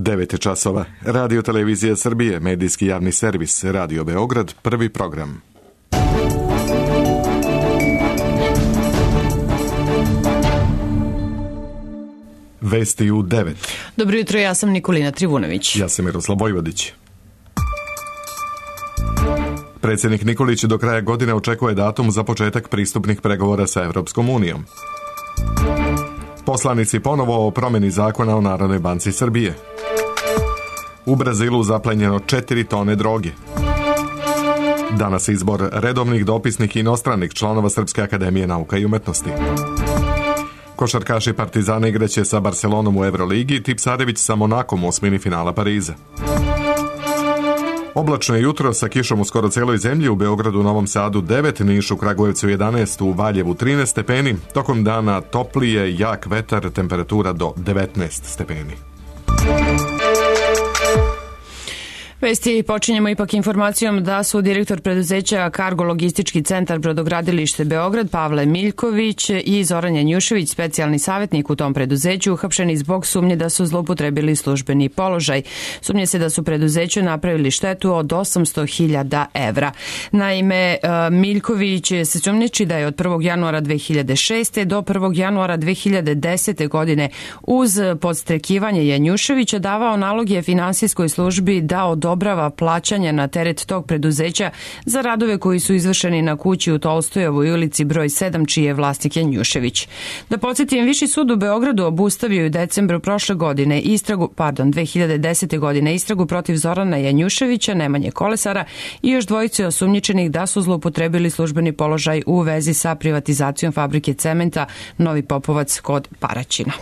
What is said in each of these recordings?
9 časova. Radio Televizija Srbije, medijski javni servis, Radio Beograd, prvi program. Vesti u 9. Dobro jutro, ja sam Nikolina Trivunović. Ja sam Miroslav Vojvodić. Predsjednik Nikolić do kraja godine očekuje datum za početak pristupnih pregovora sa Evropskom unijom. Poslanici ponovo o promjeni zakona o Narodnoj banci Srbije. U Brazilu zaplenjeno 4 tone droge. Danas izbor redovnih, dopisnih i inostranih članova Srpske akademije nauka i umetnosti. Košarkaši Partizana igraće sa Barcelonom u Euroligi, Tipsarević sa Monakom u osmini finala Pariza. Oblačno je jutro sa kišom u skoro celoj zemlji, u Beogradu, Novom Sadu 9, Nišu, Kragujevcu 11, u Valjevu 13 stepeni, tokom dana toplije, jak vetar, temperatura do 19 stepeni. Vesti počinjemo ipak informacijom da su direktor preduzeća Kargo logistički centar Brodogradilište Beograd Pavle Miljković i Zoran Janjušević, specijalni savjetnik u tom preduzeću, uhapšeni zbog sumnje da su zloupotrebili službeni položaj. Sumnje se da su preduzeću napravili štetu od 800.000 evra. Naime, Miljković se sumnjiči da je od 1. januara 2006. do 1. januara 2010. godine uz podstrekivanje Janjuševića davao naloge finansijskoj službi da odobrava plaćanja na teret tog preduzeća za radove koji su izvršeni na kući u Tolstojevoj ulici broj 7, čiji je vlasnik Janjušević. Da podsjetim, Viši sud u Beogradu obustavio je u decembru prošle godine 2010. godine istragu protiv Zorana Janjuševića, Nemanje Kolesara i još dvojice osumnjičenih da su zloupotrebili službeni položaj u vezi sa privatizacijom fabrike cementa Novi Popovac kod Paraćina.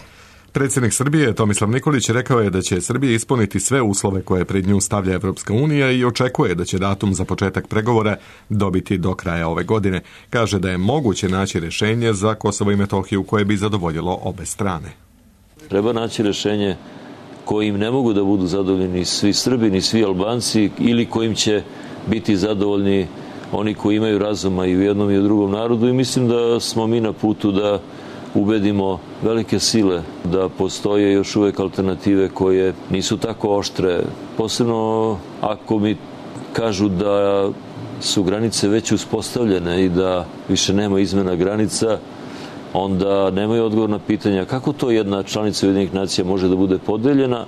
Predsjednik Srbije Tomislav Nikolić rekao je da će Srbija ispuniti sve uslove koje pred nju stavlja Evropska unija i očekuje da će datum za početak pregovora dobiti do kraja ove godine. Kaže da je moguće naći rješenje za Kosovo i Metohiju koje bi zadovoljilo obe strane. Treba naći rješenje kojim ne mogu da budu zadovoljni svi Srbi ni svi Albanci ili kojim će biti zadovoljni oni koji imaju razuma i u jednom i u drugom narodu, i mislim da smo mi na putu da ubedimo velike sile da postoje još uvek alternative koje nisu tako oštre. Posebno ako mi kažu da su granice već uspostavljene i da više nema izmena granica, onda nemaju odgovor na pitanja kako to jedna članica Ujedinjenih nacija može da bude podeljena,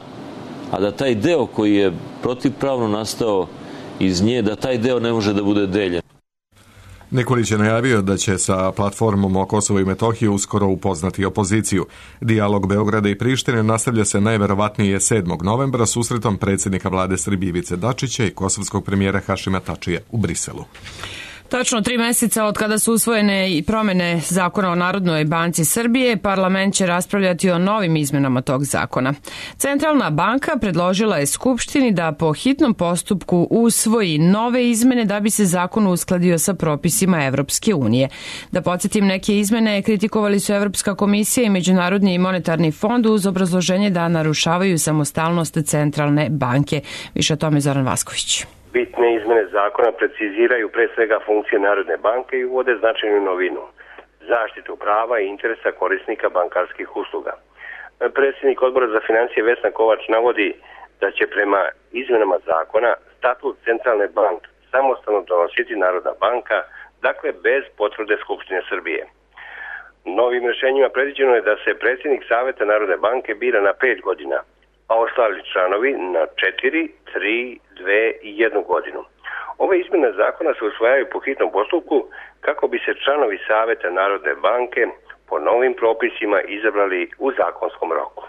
a da taj deo koji je protivpravno nastao iz nje, da taj deo ne može da bude deljen. Nikolić je najavio da će sa platformom o Kosovo i Metohiju uskoro upoznati opoziciju. Dijalog Beograda i Prištine nastavlja se najverovatnije 7. novembra susretom predsjednika vlade Srbije Ivice Dačića i kosovskog premijera Hašima Tačija u Briselu. Tačno 3 meseca od kada su usvojene i promjene zakona o Narodnoj banci Srbije, parlament će raspravljati o novim izmenama tog zakona. Centralna banka predložila je Skupštini da po hitnom postupku usvoji nove izmene da bi se zakon uskladio sa propisima Evropske unije. Da podsjetim, neke izmene kritikovali su Evropska komisija i Međunarodni monetarni fond uz obrazloženje da narušavaju samostalnost Centralne banke. Više o tome Zoran Vasković. Bitne izmene zakona preciziraju pre svega funkcije Narodne banke i uvode značajnu novinu, zaštitu prava i interesa korisnika bankarskih usluga. Predsjednik Odbora za financije Vesna Kovač navodi da će prema izmenama zakona statut Centralne banke samostalno donositi Narodna banka, dakle bez potvrde Skupštine Srbije. Novim rješenjima predviđeno je da se predsjednik Saveta Narodne banke bira na 5 godina, a ostali članovi na 4, 3, 2 i 1 godinu. Ove izmjene zakona se usvajaju po hitnom postupku kako bi se članovi Saveta Narodne banke po novim propisima izabrali u zakonskom roku.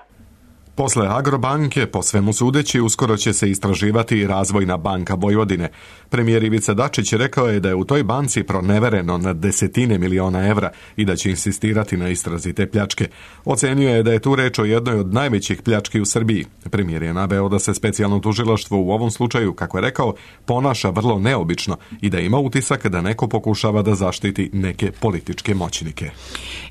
Posle Agrobanke, po svemu sudeći, uskoro će se istraživati i Razvojna banka Vojvodine. Premijer Ivica Dačić rekao je da je u toj banci pronevereno na desetine miliona evra i da će insistirati na istrazi te pljačke. Ocenio je da je tu reč o jednoj od najvećih pljački u Srbiji. Premijer je naveo da se specijalno tužilaštvo u ovom slučaju, kako je rekao, ponaša vrlo neobično i da ima utisak da neko pokušava da zaštiti neke političke moćnike.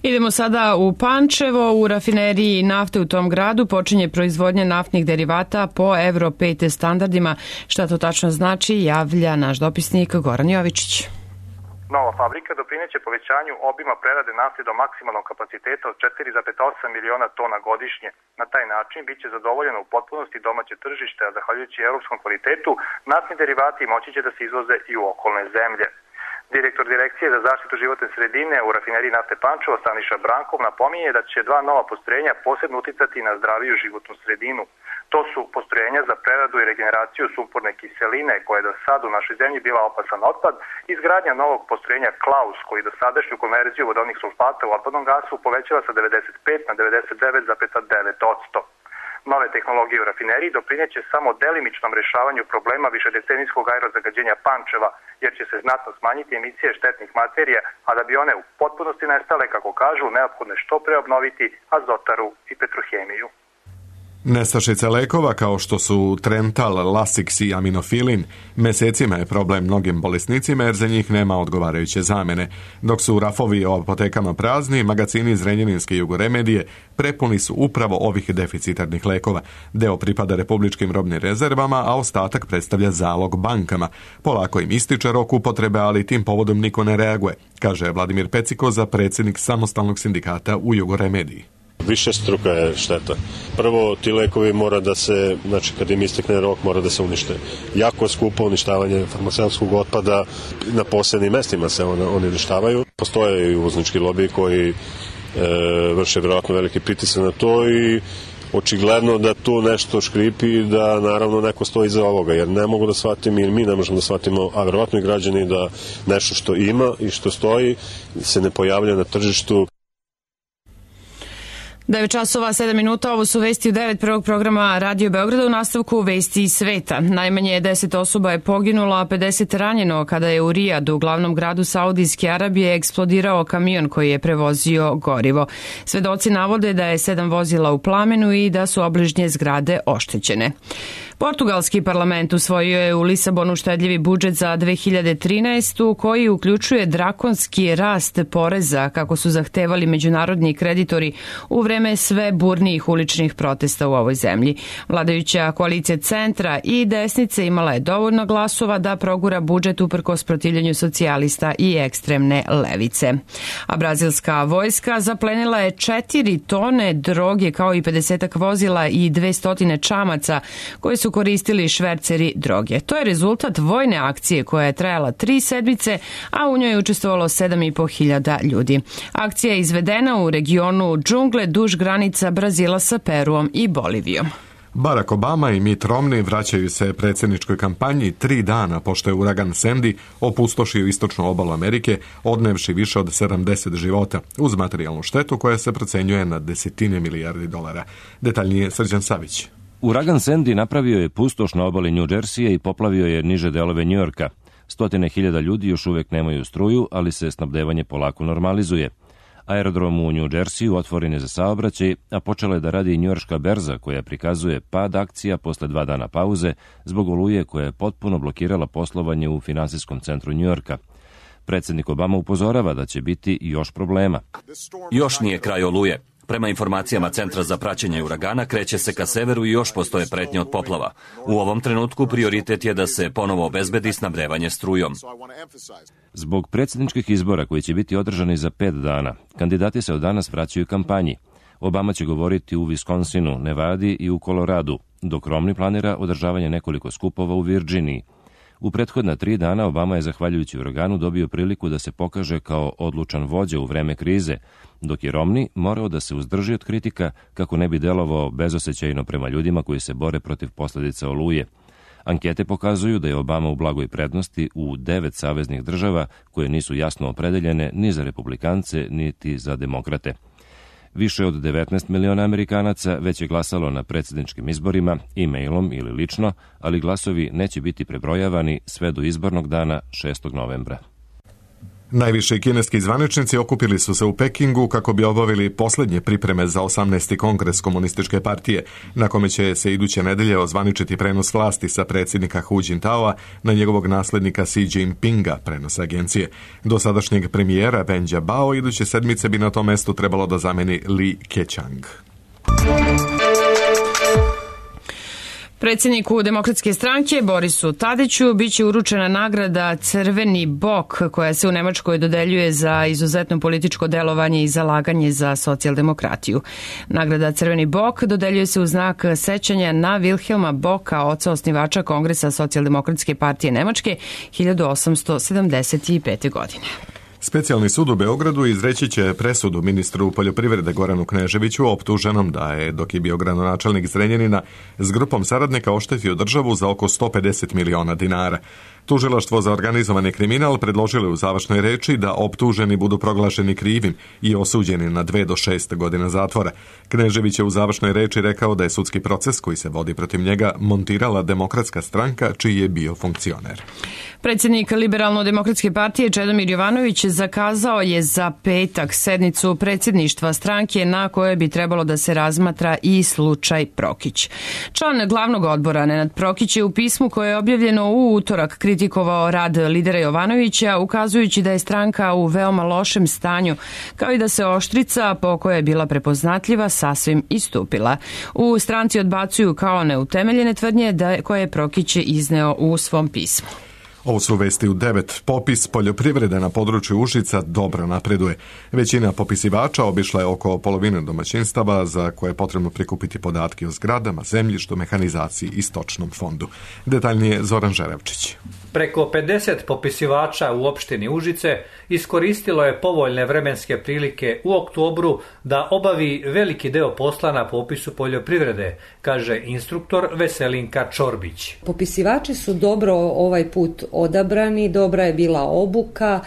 Idemo sada u Pančevo. U rafineriji nafte u tom gradu počinje proizvodnja naftnih derivata po Euro 5 standardima. Šta to tačno znači, javlja naš dopisnik Goran Jovičić. Nova fabrika doprineće povećanju obima prerade nafte do maksimalnog kapaciteta od 4,8 miliona tona godišnje. Na taj način biće zadovoljeno u potpunosti domaće tržište, a zahvaljujući evropskom kvalitetu, naftni derivati moći će da se izvoze i u okolne zemlje. Direktor Direkcije za zaštitu životne sredine u rafineriji nafte Pančevo Staniša Brankov napominje da će 2 nova postrojenja posebno uticati na zdraviju životnu sredinu. To su postrojenja za preradu i regeneraciju sumporne kiseline, koja je do sada u našoj zemlji bila opasan otpad, izgradnja novog postrojenja Klaus, koji dosadašnju konverziju vodovnih sulfata u otpadnom gasu povećava sa 95 na 99,9%. Nove tehnologije u rafineriji doprineće samo delimičnom rešavanju problema višedecenijskog aerozagađenja Pančeva, jer će se znatno smanjiti emisije štetnih materija, a da bi one u potpunosti nestale, kako kažu, neophodno je što pre obnoviti azotaru i petrohemiju. Nestašice lekova kao što su Trental, Lasix i Aminofilin mesecima je problem mnogim bolesnicima jer za njih nema odgovarajuće zamene. Dok su rafovi o apotekama prazni, magazini Zrenjaninske Jugoremedije prepuni su upravo ovih deficitarnih lekova. Deo pripada republičkim robnim rezervama, a ostatak predstavlja zalog bankama. Polako im ističe rok upotrebe, ali tim povodom niko ne reaguje, kaže Vladimir Pecikoza, predsjednik samostalnog sindikata u Jugoremediji. Višestruka je šteta. Prvo, ti lekovi mora da se, znači kad im istekne rok, mora da se unište. Jako je skupo uništavanje farmaceutskog otpada, na posebnim mestima se oni uništavaju. Postoje i uvoznički lobi koji vrše vjerojatno veliki pritisak na to i očigledno da tu nešto škripi i da naravno neko stoji iza ovoga, jer ne mogu da shvatim i mi ne možemo da shvatimo, a vjerojatno i građani, da nešto što ima i što stoji se ne pojavlja na tržištu. 9 časova 7 minuta, ovo su vesti u 9 prvog programa Radio Beograda, u nastavku vesti iz sveta. Najmanje 10 osoba je poginulo, a 50 ranjeno kada je u Rijadu, glavnom gradu Saudijske Arabije, eksplodirao kamion koji je prevozio gorivo. Svedoci navode da je 7 vozila u plamenu i da su obližnje zgrade oštećene. Portugalski parlament usvojio je u Lisabonu štedljivi budžet za 2013. koji uključuje drakonski rast poreza, kako su zahtevali međunarodni kreditori u vreme sve burnijih uličnih protesta u ovoj zemlji. Vladajuća koalicija centra i desnice imala je dovoljno glasova da progura budžet uprkos protivljenju socijalista i ekstremne levice. A brazilska vojska zaplenila je 4 tone droge kao i 50 vozila i 200 čamaca koji su koristili šverceri droge. To je rezultat vojne akcije koja je trajala 3 sedmice, a u njoj je učestvovalo 7.500 ljudi. Akcija je izvedena u regionu džungle duž granica Brazila sa Peruom i Bolivijom. Barack Obama i Mitt Romney vraćaju se predsjedničkoj kampanji 3 dana pošto je uragan Sandy opustošio istočnu obalu Amerike, odnevši više od 70 života, uz materijalnu štetu koja se procenjuje na $10 milijardi. Detaljnije Srđan Savić. Uragan Sandy napravio je pustoš na obali New Jersey i poplavio je niže delove Njujorka. 100.000 ljudi još uvek nemaju struju, ali se snabdevanje polako normalizuje. Aerodrom u New Jerseyu otvoren je za saobraćaj, a počela je da radi i njujorška berza koja prikazuje pad akcija posle 2 dana pauze zbog oluje koja je potpuno blokirala poslovanje u finansijskom centru Njujorka. Predsjednik Obama upozorava da će biti još problema. Još nije kraj oluje. Prema informacijama Centra za praćenje uragana, kreće se ka severu i još postoje pretnje od poplava. U ovom trenutku prioritet je da se ponovo obezbedi snabdevanje strujom. Zbog predsjedničkih izbora koji će biti održani za 5 dana, kandidati se od danas vraćaju kampanji. Obama će govoriti u Wisconsinu, Nevadi i u Koloradu, dok Romney planira održavanje nekoliko skupova u Virginiji. U prethodna 3 dana Obama je, zahvaljujući uraganu, dobio priliku da se pokaže kao odlučan vođa u vreme krize, dok je Romney morao da se uzdrži od kritika kako ne bi delovao bezosećajno prema ljudima koji se bore protiv posljedica oluje. Ankete pokazuju da je Obama u blagoj prednosti u 9 saveznih država koje nisu jasno opredeljene ni za republikance niti za demokrate. Više od 19 miliona Amerikanaca već je glasalo na predsjedničkim izborima, e-mailom ili lično, ali glasovi neće biti prebrojavani sve do izbornog dana 6. novembra. Najviši kineski zvaničnici okupili su se u Pekingu kako bi obavili posljednje pripreme za 18. kongres komunističke partije, na kome će se iduće nedelje ozvaničiti prenos vlasti sa predsjednika Hu Jintaoa na njegovog naslednika Xi Jinpinga, prenos agencije. Dosadašnjeg premijera Ben Jiabao iduće sedmice bi na tom mestu trebalo da zameni Li Keqiang. Predsjedniku Demokratske stranke Borisu Tadiću biće uručena nagrada Crveni bok koja se u Nemačkoj dodeljuje za izuzetno političko delovanje i zalaganje za socijaldemokratiju. Nagrada Crveni bok dodeljuje se u znak sećanja na Wilhelma Boka, oca osnivača Kongresa Socijaldemokratske partije Nemačke 1875. godine. Specijalni sud u Beogradu izreći će presudu ministru poljoprivrede Goranu Kneževiću optuženom da je, dok je bio gradonačelnik Zrenjanina, s grupom saradnika oštetio državu za oko 150 miliona dinara. Tužilaštvo za organizovani kriminal predložilo u završnoj reči da optuženi budu proglašeni krivim i osuđeni na 2 do 6 godina zatvora. Knežević je u završnoj reči rekao da je sudski proces koji se vodi protiv njega montirala Demokratska stranka čiji je bio funkcioner. Predsjednik Liberalno-demokratske partije Čedomir Jovanović zakazao je za petak sednicu predsjedništva stranke na kojoj bi trebalo da se razmatra i slučaj Prokić. Član glavnog odbora Nenad Prokić je u pismu koje je objavljeno u utorak kritikovao rad lidera Jovanovića, ukazujući da je stranka u veoma lošem stanju, kao i da se oštrica po kojoj je bila prepoznatljiva sasvim istupila. U stranci odbacuju kao neutemeljene tvrdnje koje je Prokić izneo u svom pismu. Ovo su vesti u 9. Popis poljoprivrede na području Užica dobro napreduje. Većina popisivača obišla je oko polovine domaćinstava za koje je potrebno prikupiti podatke o zgradama, zemljištu, mehanizaciji i stočnom fondu. Detaljnije Zoran Žerevčić. Preko 50 popisivača u opštini Užice iskoristilo je povoljne vremenske prilike u oktobru da obavi veliki deo posla na popisu poljoprivrede, kaže instruktor Veselinka Čorbić. Popisivači su dobro ovaj put odabrani, dobra je bila obuka,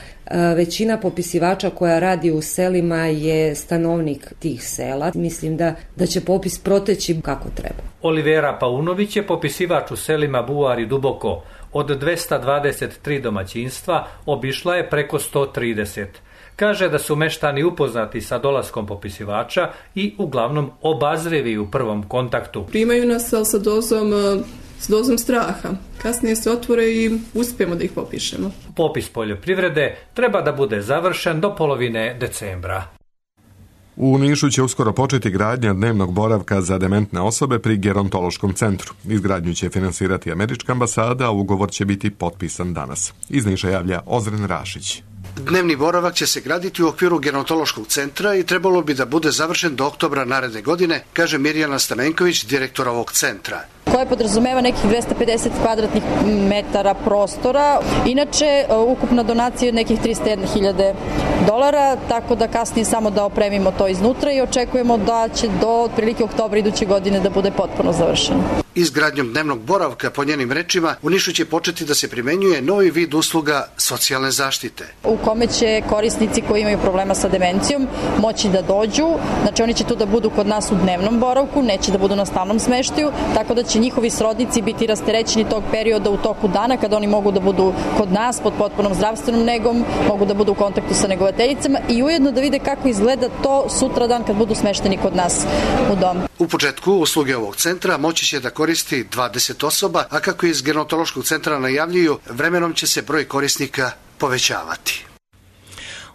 većina popisivača koja radi u selima je stanovnik tih sela. Mislim da će popis proteći kako treba. Olivera Paunović je popisivač u selima Buvar i Duboko. Od 223 domaćinstva obišla je preko 130. Kaže da su meštani upoznati sa dolaskom popisivača i uglavnom obazrivi u prvom kontaktu. Primaju nas sa dozom straha. Kasnije se otvore i uspijemo da ih popišemo. Popis poljoprivrede treba da bude završen do polovine decembra. U Nišu će uskoro početi gradnja dnevnog boravka za dementne osobe pri gerontološkom centru. Izgradnju će finansirati američka ambasada, a ugovor će biti potpisan danas. Iz Niša javlja Ozren Rašić. Dnevni boravak će se graditi u okviru gerontološkog centra i trebalo bi da bude završen do oktobra naredne godine, kaže Mirjana Stamenković, direktor ovog centra. Koje podrazumeva nekih 250 kvadratnih metara prostora. Inače, ukupna donacija je nekih $301.000, tako da kasnije samo da opremimo to iznutra i očekujemo da će do otprilike oktobra iduće godine da bude potpuno završeno. Izgradnjom dnevnog boravka, po njenim rečima, u Nišu će početi da se primenjuje novi vid usluga socijalne zaštite. U kome će korisnici koji imaju problema sa demencijom moći da dođu, znači oni će tu da budu kod nas u dnevnom boravku, neće da budu na stalnom smeštaju, tako da će njihovi srodnici biti rasterećeni tog perioda u toku dana kada oni mogu da budu kod nas pod potpunom zdravstvenom negom, mogu da budu u kontaktu sa negovateljicama i ujedno da vide kako izgleda to sutradan kad budu smešteni kod nas u domu. U početku usluge ovog centra moći će da koristi 20 osoba, a kako iz gerontološkog centra najavljuju, vremenom će se broj korisnika povećavati.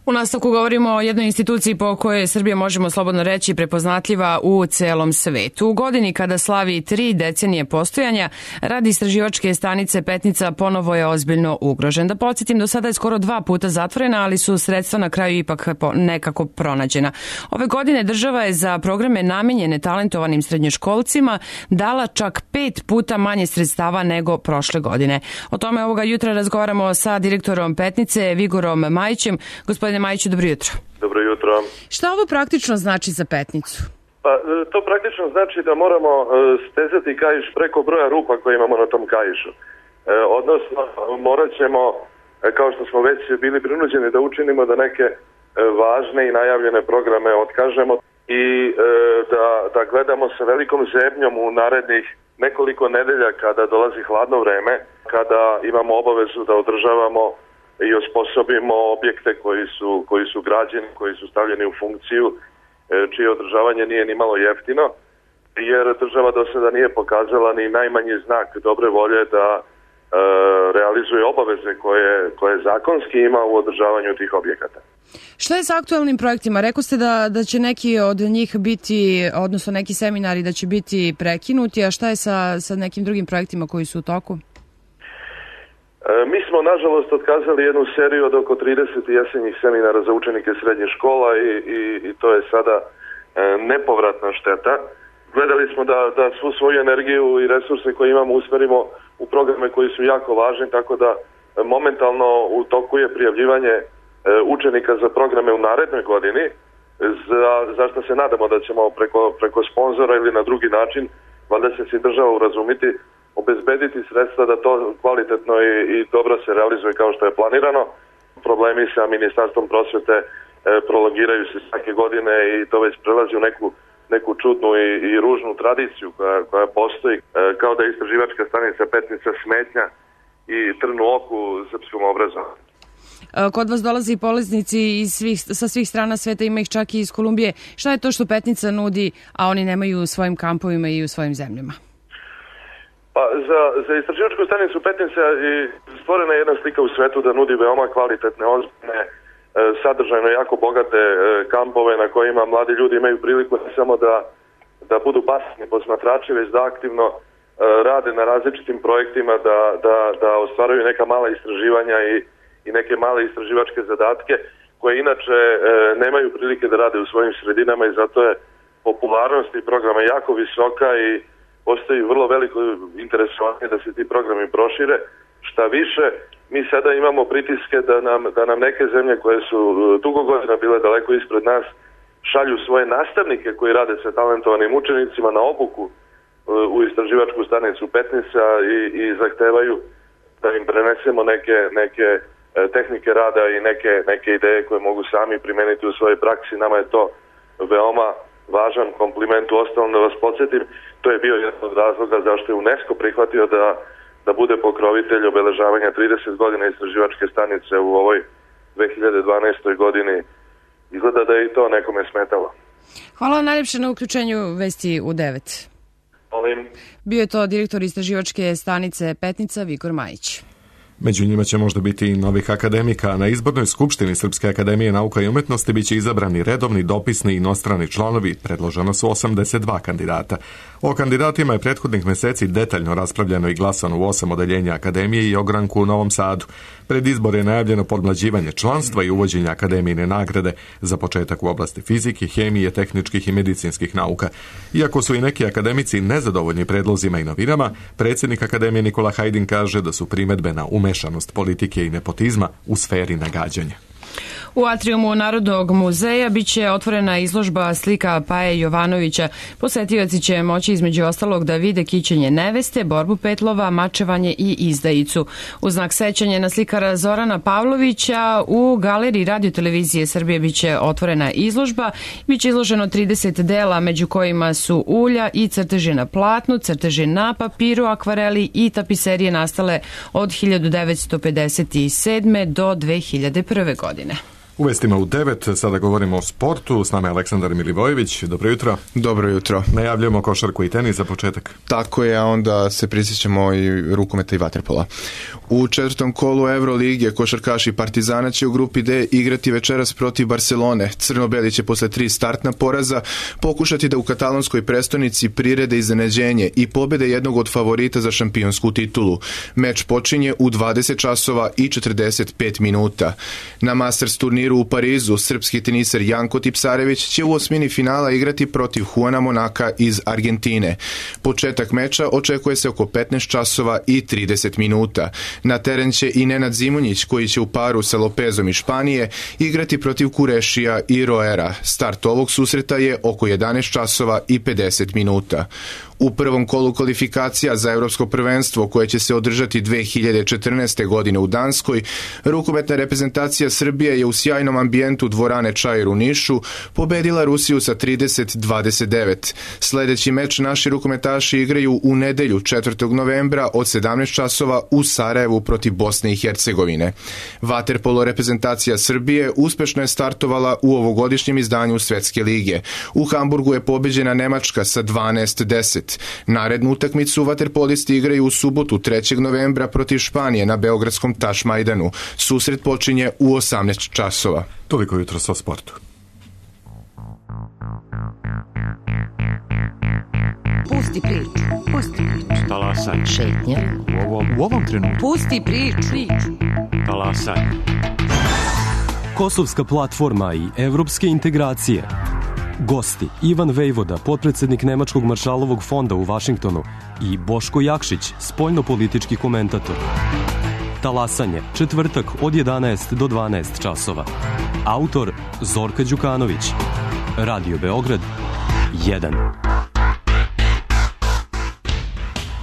U nastavku govorimo o jednoj instituciji po kojoj Srbija, možemo slobodno reći, prepoznatljiva u celom svetu. U godini kada slavi 3 decenije postojanja, rad istraživačke stanice Petnica ponovo je ozbiljno ugrožen. Da podsjetim, do sada je skoro 2 puta zatvorena, ali su sredstva na kraju ipak nekako pronađena. Ove godine država je za programe namenjene talentovanim srednjoškolcima dala čak 5 puta manje sredstava nego prošle godine. O tome ovoga jutra razgovaramo sa direktorom Petnice, Vigorom Majićem. Gospodine Majiću, dobro jutro. Dobro jutro. Šta ovo praktično znači za Petnicu? Pa, to praktično znači da moramo stezati kaiš preko broja rupa koje imamo na tom kaišu. Odnosno, morat ćemo, kao što smo već bili prinuđeni da učinimo, da neke važne i najavljene programe otkažemo i da gledamo sa velikom zebnjom u narednih nekoliko nedelja kada dolazi hladno vreme, kada imamo obavezu da održavamo i osposobimo objekte koji su građeni, koji su stavljeni u funkciju, čije održavanje nije ni malo jeftino, jer država do sada nije pokazala ni najmanji znak dobre volje da realizuje obaveze koje zakonski ima u održavanju tih objekata. Šta je sa aktualnim projektima? Rekao ste da će neki od njih biti, odnosno neki seminari da će biti prekinuti, a šta je sa nekim drugim projektima koji su u toku? Mi smo, nažalost, otkazali jednu seriju od oko 30 jesenjih seminara za učenike srednjih škola i to je sada nepovratna šteta. Gledali smo da svu svoju energiju i resurse koje imamo usmerimo u programe koji su jako važni, tako da momentalno u toku je prijavljivanje učenika za programe u narednoj godini, za što se nadamo da ćemo preko sponzora ili na drugi način, valjda će se država urazumiti, obezbediti sredstva da to kvalitetno i dobro se realizuje kao što je planirano. Problemi sa Ministarstvom prosvete prolongiraju se svake godine i to već prelazi u neku čudnu i ružnu tradiciju koja postoji, kao da je istraživačka stanica Petnica smetnja i trn u oku srpskom obrazovanju. Kod vas dolaze i polaznici sa svih strana sveta, ima ih čak i iz Kolumbije. Šta je to što Petnica nudi, a oni nemaju u svojim kampovima i u svojim zemljama? Pa za istraživačku stanicu Petnica stvorena je jedna slika u svetu da nudi veoma kvalitetne, ozbiljne, sadržajno jako bogate kampove na kojima mladi ljudi imaju priliku ne samo da budu pasivni posmatrači, već da aktivno rade na različitim projektima, da ostvaruju neka mala istraživanja i neke male istraživačke zadatke koje inače nemaju prilike da rade u svojim sredinama i zato je popularnost tih programa jako visoka i postoji vrlo veliko interesovanje da se ti programi prošire. Šta više, mi sada imamo pritiske da nam neke zemlje koje su dugo godina bile daleko ispred nas šalju svoje nastavnike koji rade sa talentovanim učenicima na obuku u istraživačku stanicu Petnica i zahtevaju da im prenesemo neke tehnike rada i neke ideje koje mogu sami primeniti u svojoj praksi. Nama je to veoma važan kompliment. Uostalom da vas podsjetim, to je bio jedan od razloga zašto je UNESCO prihvatio da bude pokrovitelj obeležavanja 30 godina istraživačke stanice u ovoj 2012. godini. Izgleda da je i to nekome smetalo. Hvala najljepše na uključenju Vesti u 9. Bio je to direktor istraživačke stanice Petnica Vigor Majić. Među njima će možda biti i novih akademika. Na izbornoj skupštini Srpske akademije nauka i umetnosti biće izabrani redovni, dopisni i inostrani članovi. Predloženo su 82 kandidata. O kandidatima je prethodnih meseci detaljno raspravljeno i glasano u 8 odeljenja akademije i ogranku u Novom Sadu. Pred izbor je najavljeno podmlađivanje članstva i uvođenje akademijine nagrade za početak u oblasti fizike, hemije, tehničkih i medicinskih nauka. Iako su i neki akademici nezadovoljni predlozima i novinama, predsjednik akademije Nikola Hajdin kaže da su primedbe na umešanost politike i nepotizma u sferi nagađanja. U atriumu Narodnog muzeja biće otvorena izložba slika Paje Jovanovića. Posetioci će moći između ostalog da vide kićenje neveste, borbu petlova, mačevanje i izdajicu. U znak sećanja na slikara Zorana Pavlovića u galeriji Radio-televizije Srbije biće otvorena izložba. Biće izloženo 30 dela, među kojima su ulja i crteži na platnu, crteži na papiru, akvareli i tapiserije nastale od 1957. do 2001. godine. U vestima u 9, sada govorimo o sportu, s nama je Aleksandar Milivojević. Dobro jutro. Dobro jutro. Najavljamo košarku i tenis za početak. Tako je, a onda se prisjećamo i rukometa i vaterpola. U četvrtom kolu Evrolige košarkaši Partizana će u grupi D igrati večeras protiv Barcelone. Crno-beli će posle 3 startna poraza pokušati da u katalonskoj prestonici prirede iznenađenje i pobede jednog od favorita za šampionsku titulu. Meč počinje u 20 časova i 45 minuta. Na Masters turniru u Parizu srpski teniser Janko Tipsarević će u osmini finala igrati protiv Juana Monaka iz Argentine. Početak meča očekuje se oko 15 časova i 30 minuta. Na teren će i Nenad Zimonjić koji će u paru sa Lopezom iz Španije igrati protiv Kurešija i Roera. Start ovog susreta je oko 11 časova i 50 minuta. U prvom kolu kvalifikacija za Evropsko prvenstvo koje će se održati 2014. godine u Danskoj, rukometna reprezentacija Srbije je u sjajnom ambijentu dvorane Čair u Nišu pobedila Rusiju sa 30-29. Sledeći meč naši rukometaši igraju u nedelju 4. novembra od 17 časova u Sarajevu protiv Bosne i Hercegovine. Vaterpolo reprezentacija Srbije uspešno je startovala u ovogodišnjem izdanju Svetske lige. U Hamburgu je pobeđena Nemačka sa 12-10. 20. Narednu utakmicu vaterpolisti igraju u subotu 3. novembra protiv Španije na beogradskom Tašmajdanu. Susret počinje u 18 časova. Toliko jutro sa sportu. Pusti priču. Talasaj. Šetnja. U ovom trenutku. Pusti priču. Talasaj. Kosovska platforma i evropske integracije. Gosti Ivan Vejvoda, potpredsednik Nemačkog maršalovog fonda u Vašingtonu, i Boško Jakšić, spoljnopolitički komentator. Talasanje, četvrtak od 11 do 12 časova. Autor Zorka Đukanović. Radio Beograd 1.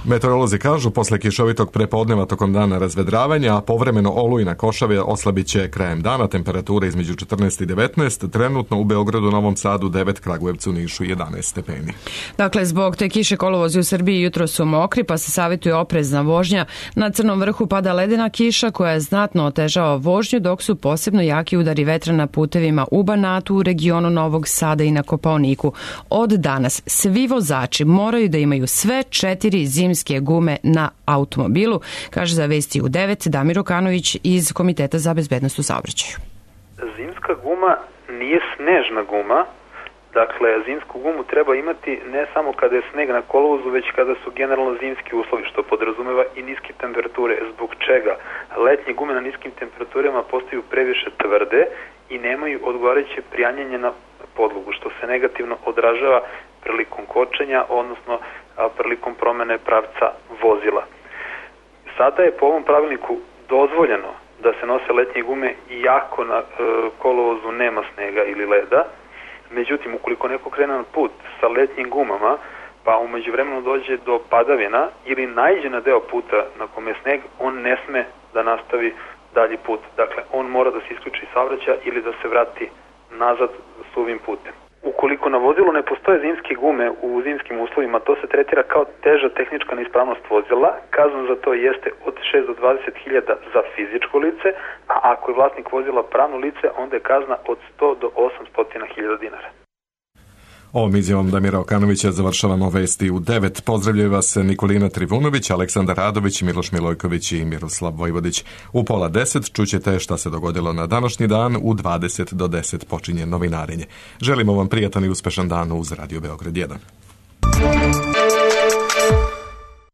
Meteorolozi kažu, posle kišovitog prepodneva tokom dana razvedravanja, a povremeno olujna košave oslabit će krajem dana, temperature između 14 i 19, trenutno u Beogradu, Novom Sadu 9, Kragujevcu, Nišu 11 stepeni. Dakle, zbog te kiše kolovozi u Srbiji jutro su mokri, pa se savjetuje oprezna vožnja. Na Crnom vrhu pada ledena kiša koja znatno otežava vožnju, dok su posebno jaki udari vetra na putevima u Banatu, u regionu Novog Sada i na Kopaoniku. Od danas svi vozači moraju da imaju sve 4 zimske gume na automobilu, kaže za Vesti u 9 Damir Okanović iz Komiteta za bezbednost u saobraćaju. Zimska guma nije snežna guma, dakle zimsku gumu treba imati ne samo kada je sneg na kolovozu, već kada su generalno zimski uslovi, što podrazumeva i niske temperature, zbog čega letnje gume na niskim temperaturama postaju previše tvrde i nemaju odgovarajuće prijanjanje na podlogu, što se negativno odražava prilikom kočenja, odnosno prilikom promene pravca vozila. Sada je po ovom pravilniku dozvoljeno da se nose letnje gume iako na kolovozu nema snega ili leda. Međutim, ukoliko neko krene na put sa letnjim gumama, pa umeđu vremenu dođe do padavina ili naiđe na deo puta na kome je sneg, on ne sme da nastavi dalji put. Dakle, on mora da se isključi iz saobraćaja ili da se vrati nazad suvim putem. Ukoliko na vozilu ne postoje zimske gume u zimskim uslovima, to se tretira kao teža tehnička neispravnost vozila. Kazna za to jeste od 6 do 20.000 za fizičko lice, a ako je vlasnik vozila pravno lice, onda je kazna od 100 do 800.000 dinara. Ovom izjavom Damira Okanovića završavamo Vesti u 9. Pozdravljaju vas Nikolina Trivunović, Aleksandar Radović, Miloš Milojković i Miroslav Vojvodić. U 9:30 čućete šta se dogodilo na današnji dan, u 20 do 10 počinje novinarenje. Želimo vam prijatan i uspešan dan uz Radio Beograd 1.